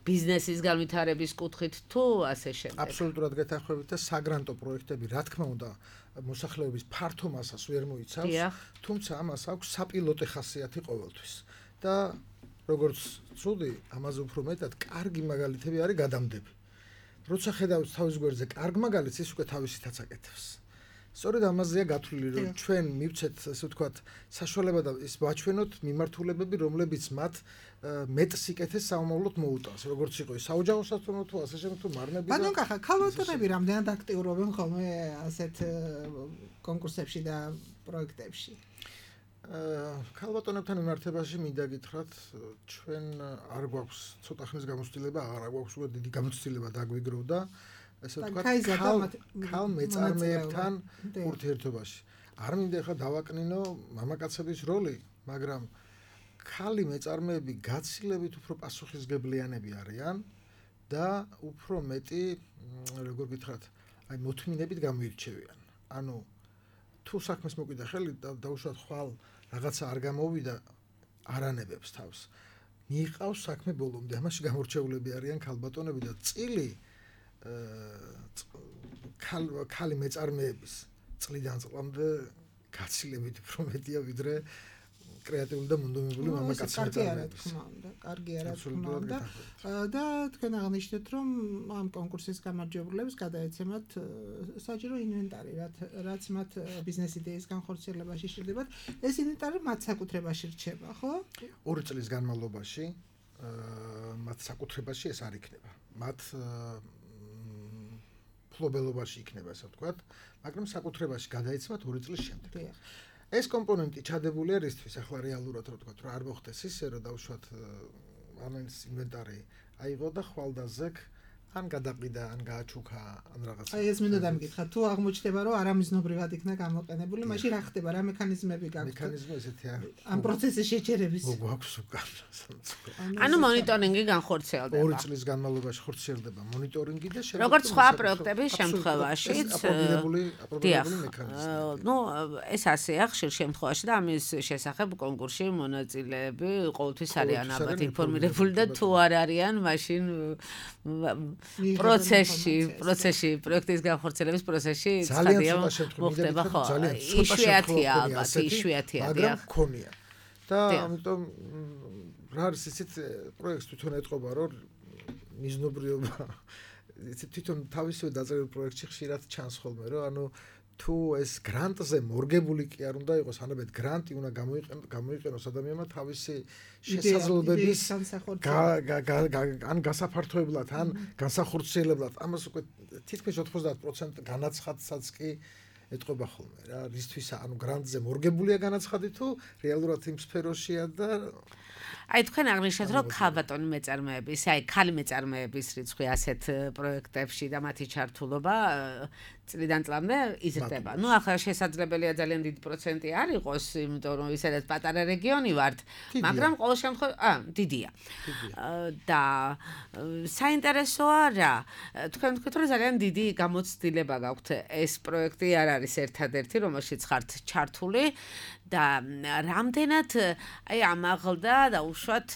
Speaker 2: ბიზნესის განვითარების კუთხით თუ ასე შემდეგ.
Speaker 4: აბსოლუტურად გეთანხმებით და საგრანტო პროექტები, რა თქმა უნდა, მოსახლეობის ფართო მასას ვერ მოიცავს, თუმცა ამას აქვს საპილოტე ხასიათი ყოველთვის. და როგორც ცუდი, ამაზე უფრო მეტად კარგი მაგალითები არის გადამდები. როცა ხედავთ თავის გვერდზე კარგ მაგალითს, ის უკვე თავისითაც აკეთებს. სწორედ ამაზეა გათვლილი, რომ ჩვენ მივცეთ, ასე ვთქვათ, საშუალება და ის ვაჩვენოთ მიმართულებები, რომლებიც მათ მეტ სიკეთეს საომავლოდ მოუტანს, როგორც იყო საოჯახო სასწავლო თუ ასე შემდგომ თუ მარნები და
Speaker 3: ბატონ კახა, ქალბატონები რამდენად აქტიურობენ ხოლმე ასეთ კონკურსებში და პროექტებში?
Speaker 4: ქალბატონებთან მიმართებაში მინდა გითხრათ, ჩვენ არ გვაქვს ცოტა ხნის გამოცდილება, არ გვაქვს უკვე დიდი გამოცდილება დაგვიგროვდა, ასე ვთქვათ, ქალ მეწარმეებთან ურთიერთობაში. არ მინდა ხა დავაკნინო მამაკაცების როლი, მაგრამ ქალი მეწარმეები გაცილებით უფრო პასუხისგებლიანები არიან და უფრო მეტი, როგორ გითხრათ, აი მოთმინებით გამოირჩევიან. ანუ თუ საქმეს მოკვიდა ხელი და დაუშვათ ხვალ რაღაცა არ გამოვიდა არანებებს თავს. მიიყავს საქმე ბოლომდე, ამაში გამორჩეულები არიან ქალბატონები და წილი ქალი მეწარმეების წლიდან წლამდე გაცილებით უფრო მეტია ვიდრე კრეატიული და მონდომებული მამაკაცები.
Speaker 3: კარგი არა თქმა უნდა, კარგი არა თქმა უნდა. და თქვენ აღნიშნეთ, რომ ამ კონკურსის გამარჯვებულებს გადაეცემათ საჯარო ინვენტარი, რაც მათ ბიზნეს იდეის განხორციელებაში სჭირდებათ. ეს ინვენტარი მათ საკუთრებაში რჩება, ხო?
Speaker 4: ორი წლის განმავლობაში მათ საკუთრებაში ეს არ იქნება. მათ ფლობელობაში იქნება, ასე ვთქვათ, მაგრამ საკუთრებაში გადაეცემათ ორი წლის შემდეგ. ეს კომპონენტი ჩადებულია რისთვის, ახლა რეალურად რო ვთქვათ, რომ არ მოხდეს ისე, რომ დავუშვათ ამის ინვენტარი აიღო და ხვალდაზექ ან გადაყიდა, ან გააჩუქა, ან რაღაცა.
Speaker 3: აი ეს მინდა დამიკითხა, თუ აღმოჩნდება, რომ არამიზნობრივად იქნა გამოყენებული, მაშინ რა ხდება, რა მექანიზმები გაქვთ?
Speaker 4: მექანიზმი ესეთი არის.
Speaker 3: ამ პროცესის შეჩერების.
Speaker 4: გვაქვს უკან.
Speaker 2: ანუ მონიტორინგი განხორციელდება.
Speaker 4: ორი წლის განმავლობაში ხორციელდება მონიტორინგი და
Speaker 2: შემდგომ როგორც სხვა პროექტების შემთხვევაშიც
Speaker 4: აპრობირებული აპრობირებული მექანიზმი.
Speaker 2: ნუ ეს ასეა ხშირ შემთხვევაში და ამის შესახებ კონკურსში მონაწილეები ყოველთვის არიან ალბათ ინფორმირებული და თუ არ არიან, მაშინ პროცესში, პროცესში, პროექტის განხორციელების პროცესში ცხადია მოხდება ხო? იშვიათია ალბათ, იშვიათია,
Speaker 4: მაგრამ მქონია. და ამიტომ რა არის ისეთ პროექტს თვითონ ეტყობა, რომ მიზნობრიობა თვითონ თავისივე დაწერილ პროექტში ხშირად ჩანს ხოლმე, რომ ანუ თუ ეს გრანტზე მორგებული კი არ უნდა იყოს, ანაბედ გრანტი უნდა გამოიყენოს ადამიანმა თავისი შესაძლებლობის ან გასაფართოებლად, ან განსახორციელებლად. ამას უკვე თითქმის ოთხმოცდაათ პროცენტი განაცხადსაც კი ეტყობა ხოლმე რა, რისთვისა, ანუ გრანტზე მორგებულია განაცხადი თუ რეალურად იმ სფეროშია და
Speaker 2: აი თქვენ აღნიშნეთ, რომ ქალბატონი მეწარმეების, აი ქალი მეწარმეების რიცხვი ასეთ პროექტებში და მათი ჩართულობა წლიდან წლამდე იზრდება. ნუ ახლა შესაძლებელია ძალიან დიდი პროცენტი არ იყოს, იმიტომ რომ ისედაც პატარა რეგიონი ვართ, მაგრამ ყოველ შემთხვევაში, აა, დიდია. და საინტერესოა რა, თქვენ თქვით, რომ ძალიან დიდი გამოცდილება გაქვთ. ეს პროექტი არ არის ერთადერთი, რომელშიც ხართ ჩართული და რამდენად აი ამაღლდა და უშუალოდ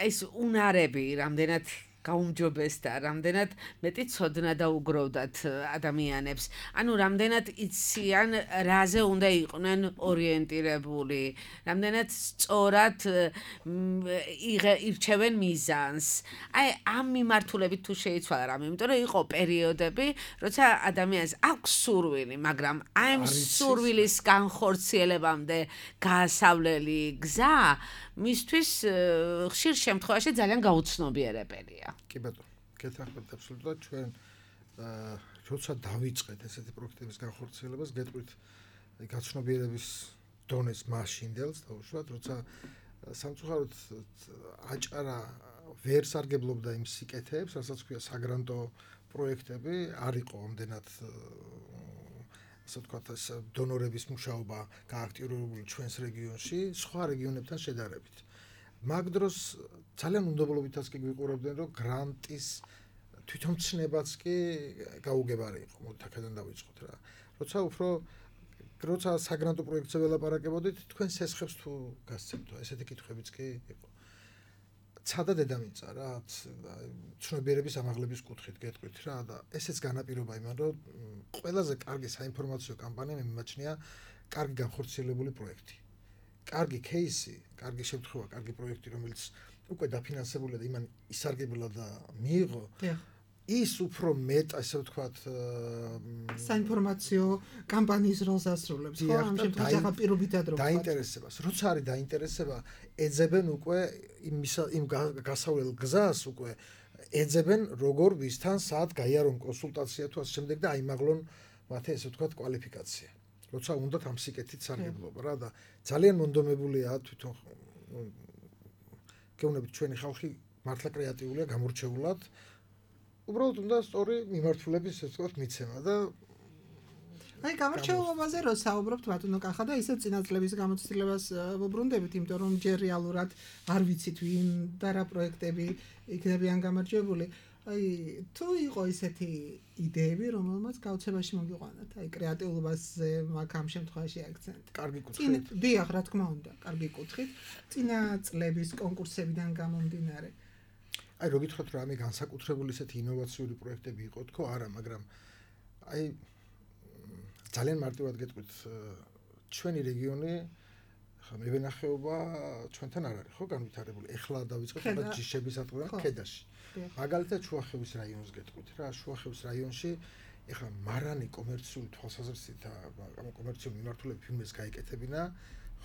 Speaker 2: ეს უნარები რამდენად გაუმჯობესდა, რამდენად მეტი ცოდნა დაუგროვდათ ადამიანებს. ანუ რამდენად იციან, რაზე უნდა იყვნენ ორიენტირებული, რამდენად სწორად ირჩევენ მიზანს. აი ამ მიმართულებით თუ შეიცვალა რამე, იმიტომ რომ იყო პერიოდები, როცა ადამიანს აქვს სურვილი, მაგრამ ამ სურვილის განხორციელებამდე გაასავლელი გზა მისთვის ხშირ შემთხვევაში ძალიან გაუცნობიერებელია.
Speaker 4: კი ბატონო, გეთანხმებით აბსოლუტურად ჩვენ როცა დავიწყეთ ესეთი პროექტების განხორციელებას, გეტყვით გაცნობიერების დონეს მაშინდელს დაუშვათ, როცა სამწუხაროდ აჭარა ვერ სარგებლობდა იმ სიკეთეებს, რასაც ქვია საგრანტო პროექტები, არ იყო ამდენად ასე ვთქვათ, ეს დონორების მუშაობა გააქტიურებული ჩვენს რეგიონში, სხვა რეგიონებთან შედარებით. მაგ დროს ძალიან უნდობლობითაც კი გვიყურებდნენ, რომ გრანტის თვითომცნებაც კი გაუგებარი იყო. მოდით აქედან დავიწყოთ რა. როცა უფრო როცა საგრანტო პროექტზე ველაპარაკებოდით, თქვენ სესხებს თუ გასცემთო, ესეთი კითხვებიც კი იყო. ცადა დედამიწა რა, ცნობიერების ამაღლების კუთხით გეტყვით რა და ესეც განაპირობა იმან, რომ ყველაზე კარგი საინფორმაციო კამპანია მიმაჩნია კარგი განხორციელებული პროექტი. კარგი кейსი, კარგი შემთხვევა, კარგი პროექტი, რომელიც უკვე დაფინანსებულია და იმან ისარგებლა და მიიღო. ის უფრო მეტ, ასე ვთქვათ,
Speaker 3: საინფორმაციო კამპანიის როლს ასრულებს, ხო? ამ შემთხვევაში ახლა პირობითად რო
Speaker 4: დაინტერესებას. როცა არის დაინტერესება, ეძებენ უკვე იმ იმ გასავლელ გზას უკვე ეძებენ როგორ ვისთან სად გაიარონ კონსულტაცია თუ ასე შემდეგ და აიმაღლონ მათი ასე ვთქვათ კვალიფიკაცია. როცა უნდათ ამ სიკეთით სარგებლობა რა და ძალიან მონდომებულია თვითონ გეუბნებით ჩვენი ხალხი მართლა კრეატიულია გამორჩეულად უბრალოდ უნდა სწორი მიმართულების ასე ვთქვათ მიცემა და
Speaker 3: აი გამორჩეულობაზე რო საუბრობთ ბატონო კახა და ისე წინაწლების გამოცდილებას ვუბრუნდებით, იმიტომ რომ ჯერ რეალურად არ ვიცით ვინ და რა პროექტები იქნებიან გამარჯვებული. აი თუ იყო ისეთი იდეები, რომელმაც გაოცებაში მოგიყვანათ, აი კრეატიულობაზე მაგ ამ შემთხვევაში აქცენტი.
Speaker 4: კარგი კუთხით.
Speaker 3: დიახ, რა თქმა უნდა, კარგი კუთხით. წინა წლების კონკურსებიდან გამომდინარე.
Speaker 4: აი რო გითხოთ რა ამი განსაკუთრებული ისეთი ინოვაციური პროექტები იყო თქო, არა, მაგრამ აი ძალიან მარტივად გეტყვით, ჩვენი რეგიონი ხა მევენახეობა ჩვენთან არ არის, ხო, განვითარებული. ეხლა დავიწყეთ ახლა ჯიშების ატყუა ქედაში. მაგალითად შუახევის რაიონს გეტყვით რა, შუახევის რაიონში ეხლა მარანი კომერციული თვალსაზრისით ამ კომერციული მიმართულებით ფილმებს გაიკეთებინა,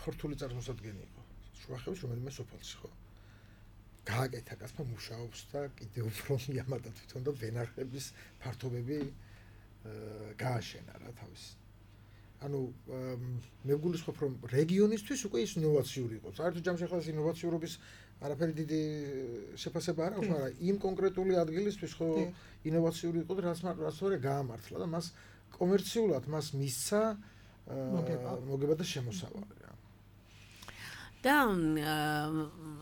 Speaker 4: ხორთული წარმოსადგენი იყო. შუახევის რომელიმე სოფელში, ხო. გააკეთა კაცმა მუშაობს და კიდევ უფრო მიამატა თვითონ და ვენახების ფართობები გააშენა რა თავის. ანუ მე ვგულისხმობ რომ რეგიონისთვის უკვე ის ინოვაციური იყო. საერთოდ ჯამში ახლა ეს ინოვაციურობის არაფერი დიდი შეფასება არ აქვს, მაგრამ იმ კონკრეტული ადგილისთვის ხო ინოვაციური იყო და რაც რაც თორე გაამართლა და მას კომერციულად მას მისცა მოგება და შემოსავალი რა.
Speaker 2: და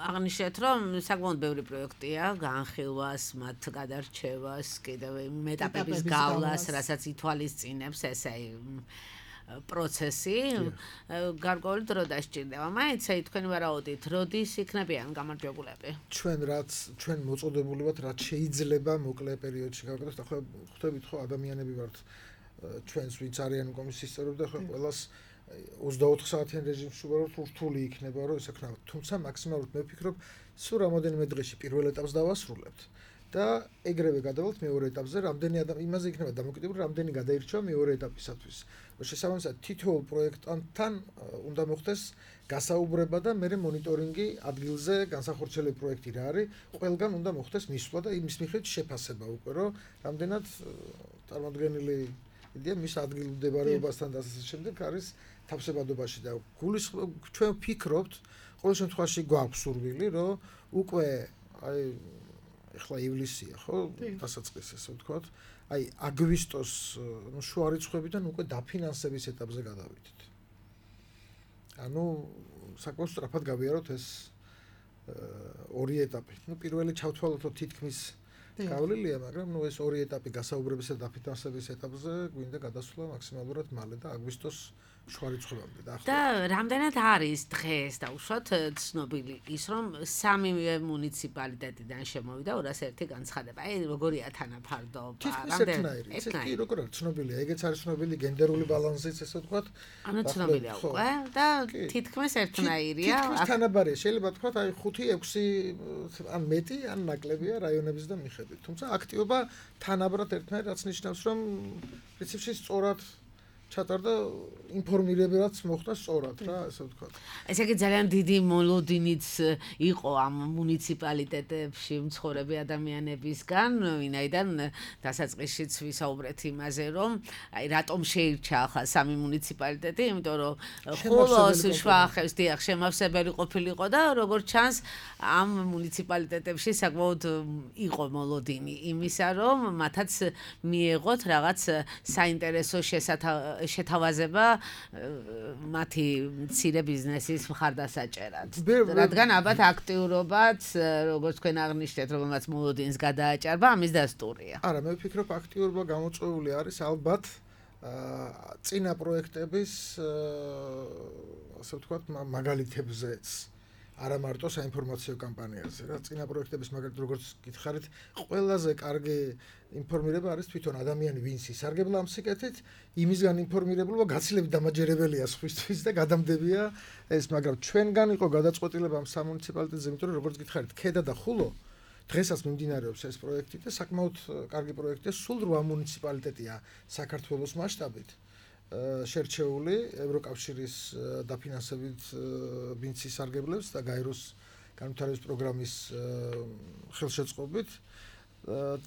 Speaker 2: აღნიშნეთ რომ საკმაოდ ბევრი პროექტია განხილვას, მათ გადარჩევას, კიდევ მეტაპების გავლას, რასაც ითვალისწინებს ესე პროცესი გარკვეული დრო დასჭირდება. მაინც აი თქვენ ვარაუდით, როდის იქნებიან გამარჯვებულები?
Speaker 4: ჩვენ რაც ჩვენ მოწოდებული ვართ, რაც შეიძლება მოკლე პერიოდში გავაკეთოთ, ახლა ხვდებით ხო ადამიანები ვართ ჩვენს ვინც არიან კომისიის წევრები და ხო ყველას ოცდაოთხ საათიან რეჟიმში ვარო რთული იქნება რომ ეს ექნება. თუმცა მაქსიმალურად მე ვფიქრობ, სულ რამოდენიმე დღეში პირველ ეტაპს დავასრულებთ და ეგრევე გადავალთ მეორე ეტაპზე, რამდენი ადამიანი იმაზე იქნება დამოკიდებული, რამდენი გადაირჩევა მეორე ეტაპისათვის. შესაბამისად, თითოეულ პროექტანთან უნდა მოხდეს გასაუბრება და მე მონიტორინგი ადგილზე განსახორციელებული პროექტი რა არის, ყველგან უნდა მოხდეს მისვლა და იმის მიხედვით შეფასება უკვე, რომ რამდენად წარმოადგენილი იდეა მის ადგილმდებარეობასთან და ასე შემდეგ არის თავსებადობაში და გულისხმობ ჩვენ ვფიქრობთ, ყოველ შემთხვევაში გვაქვს სურვილი, რომ უკვე აი ეხლა ივლისია, ხო, დასაწყისი ასე ვთქვათ, აი აგვისტოს ნუ შუა რიცხვებიდან უკვე დაფინანსების ეტაპზე გადავიდეთ. ანუ საკმაოდ სწრაფად გავიაროთ ეს ორი ეტაპი. ნუ პირველი ჩავთვალოთ, რომ თითქმის გავლილია, მაგრამ ნუ ეს ორი ეტაპი გასაუბრებისა და დაფინანსების ეტაპზე გვინდა გადასვლა მაქსიმალურად მალე და აგვისტოს შუა რიცხვებამდე და
Speaker 2: ახლა. და რამდენად არის დღეს დაუშვათ ცნობილი ის, რომ სამივე მუნიციპალიტეტიდან შემოვიდა ორას ერთი განცხადება. აი როგორია თანაფარდობა?
Speaker 4: რამდენად? ეს კი როგორ არის ცნობილია? ეგეც არის ცნობილი გენდერული ბალანსიც, ესე ვთქვათ.
Speaker 2: ანუ ცნობილია უკვე და თითქმის ერთნაირია.
Speaker 4: თითქმის თანაბარია. შეიძლება ვთქვათ, აი ხუთი ექვსი ან მეტი ან ნაკლებია რაიონების და მიხედვით. თუმცა აქტივობა თანაბრად ერთნაირად რაც ნიშნავს, რომ პრინციპში სწორად ჩატარდა ინფორმირებაც მოხდა სწორად რა, ასე ვთქვათ.
Speaker 2: ესე იგი ძალიან დიდი მოლოდინიც იყო ამ მუნიციპალიტეტებში მცხოვრები ადამიანებისგან, ვინაიდან დასაწყისშიც ვისაუბრეთ იმაზე, რომ აი რატომ შეირჩა ახლა სამი მუნიციპალიტეტი, იმიტომ რომ ხოლოს შუახევს დიახ შემავსებელი ყოფილიყო და როგორც ჩანს ამ მუნიციპალიტეტებში საკმაოდ იყო მოლოდინი იმისა, რომ მათაც მიეღოთ რაღაც საინტერესო შესათავ შეთავაზება მათი მცირე ბიზნესის მხარდასაჭერად. რადგან ალბათ აქტიურობაც, როგორც თქვენ აღნიშნეთ, რომელმაც მოლოდინს გადააჭარბა, ამის დასტურია.
Speaker 4: არა, მე ვფიქრობ, აქტიურობა გამოწვეული არის ალბათ წინა პროექტების ასე ვთქვათ მაგალითებზეც. არა მარტო საინფორმაციო კამპანიაზე, რა წინა პროექტების მაგალითად როგორც გითხარით, ყველაზე კარგი ინფორმირება არის თვითონ ადამიანი, ვინც ისარგებლა ამ სიკეთით, იმისგან ინფორმირებულობა გაცილებით დამაჯერებელია სხვისთვის და გადამდებია ეს, მაგრამ ჩვენგან იყო გადაწყვეტილება ამ სამუნიციპალიტეტზე, იმიტომ რომ როგორც გითხარით, ქედა და ხულო დღესაც მიმდინარეობს ეს პროექტი და საკმაოდ კარგი პროექტია, სულ რვა მუნიციპალიტეტია საქართველოს მასშტაბით შერჩეული ევროკავშირის დაფინანსებით ბინცის სარგებლებს და გაეროს განვითარების პროგრამის ხელშეწყობით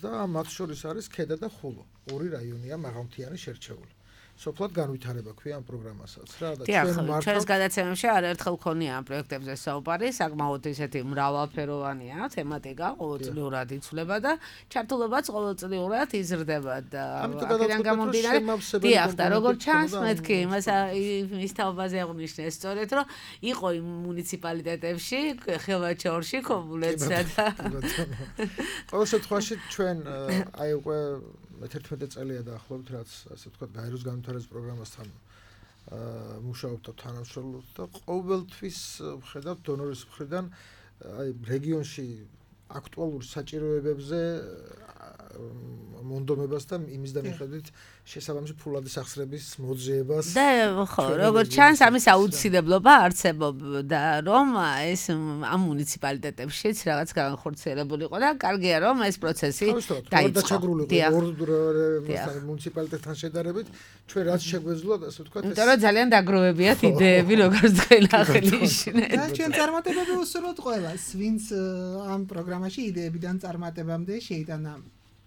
Speaker 4: და მათ შორის არის ქედა და ხულო. ორი რაიონია მაღალმთიანი შერჩეული. სოფლად განვითარება ქვია ამ პროგრამასაც რა და
Speaker 2: ჩვენ მართლა ჩვენს გადაცემებში არაერთხელ ქონია ამ პროექტებზე საუბარი, საკმაოდ ისეთი მრავალფეროვანია თემატიკა, ყოველწლიურად იცვლება და ჩართულობაც ყოველწლიურად იზრდება და აქედან გამომდინარე დიახ და როგორც ჩანს მეთქი იმას ის თაობაზე აღნიშნეს სწორედ რომ იყო იმ მუნიციპალიტეტებში ხელვაჩაურში კომუნიკაცია და
Speaker 4: ყოველ შემთხვევაში ჩვენ აი უკვე მეთერთმეტე წელია დაახლოებით რაც ასე ვთქვათ გაეროს განვითარების პროგრამასთან მუშაობთ და თანამშრომლობთ და ყოველთვის ვხედავთ დონორის მხრიდან აი რეგიონში აქტუალურ საჭიროებებზე მონდომებას და იმის და მიხედვით შესაბამისი ფულადის ახსრების მოძიებას
Speaker 2: და ხო როგორც ჩანს ამის აუცილებლობა არსებობდა რომ ეს ამ მუნიციპალიტეტებშიც რაღაც განხორციელებული იყო და კარგია რომ ეს პროცესი
Speaker 4: დაიწყო ორ მუნიციპალიტეტთან შედარებით ჩვენ რაც შეგვეძლო ასე ვთქვათ ეს
Speaker 2: იმიტომ რომ ძალიან დაგროვებიათ იდეები როგორც ხელახალი ისინი
Speaker 3: და ჩვენ წარმატებები უსურვოთ ყველას ვინც ამ პროგრამაში იდეებიდან წარმატებამდე შეიტანა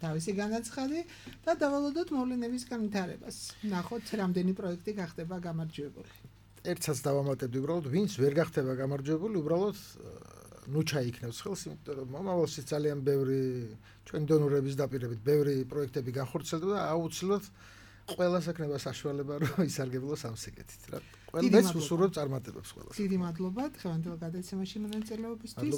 Speaker 3: თავისი განაცხადი და დავალოდოთ მოვლენების განვითარებას. ნახოთ, რამდენი პროექტი გახდება გამარჯვებული.
Speaker 4: ერთსაც დავამატებდი უბრალოდ, ვინც ვერ გახდება გამარჯვებული, უბრალოდ ნუ ჩაიქნევს ხელს, იმიტომ რომ მომავალში ძალიან ბევრი ჩვენ დონორების დაპირებით ბევრი პროექტები განხორციელდება და აუცილებლად ყველას ექნება საშუალება რომ ისარგებლოს ამ სიკეთით რა. ყველას უსურვებ წარმატებებს ყველას.
Speaker 3: დიდი მადლობა დღევანდელ გადაცემაში მონაწილეობისთვის.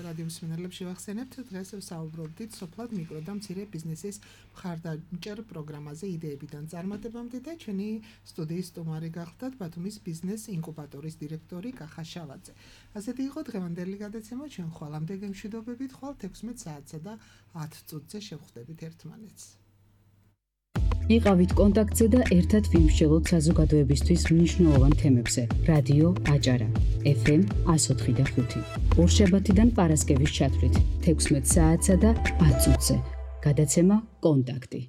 Speaker 3: რადიო მსმენელებს შევახსენებთ, დღეს ვსაუბრობდით სოფლად მიკრო და მცირე ბიზნესის მხარდამჭერ პროგრამაზე იდეებიდან წარმატებამდე და ჩვენი სტუდიის სტუმარი გახლდათ ბათუმის ბიზნეს ინკუბატორის დირექტორი კახა შავაძე. ასეთი იყო დღევანდელი გადაცემა, ჩვენ ხვალამდე გემშვიდობებით, ხვალ თექვსმეტ საათსა და ათ წუთზე შევხვდებით ერთმანეთს.
Speaker 1: იყავით კონტაქტზე და ერთად ვიმსჯელოთ საზოგადოებისთვის მნიშვნელოვან თემებზე. რადიო აჭარა ეფ ემ εκατო ოთხი და ხუთი. ორშაბათიდან პარასკევის ჩათვლით თექვსმეტ საათსა და ათ წუთზე. გადაცემა კონტაქტი.